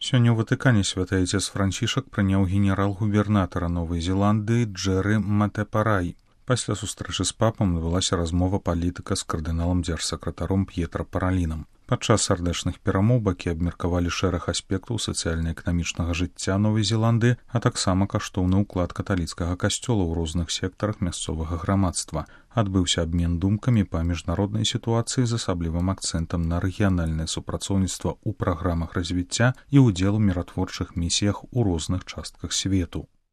Сёння ў Ватыкане святы айцец Францішак прыняў генерал-губернатара Новай Зеландыі Джэры Матэпарай. Пасля сустрэчы з папам адбылася размова палітыка з кардыналам дзяржсакратаром П'етра Паралінам. Падчас сардэчных перамоў бакі абмеркавалі шэраг аспектаў сацыяльна-эканамічнага жыцця Новай Зеландыі, а таксама каштоўны ўклад каталіцкага касцёла ў розных сектарах мясцовага грамадства. Адбыўся абмен думкамі па міжнароднай сітуацыі з асаблівым акцэнтам на рэгіянальнае супрацоўніцтва ў праграмах развіцця і ўдзел у міратворчых місіях у розных частках свету.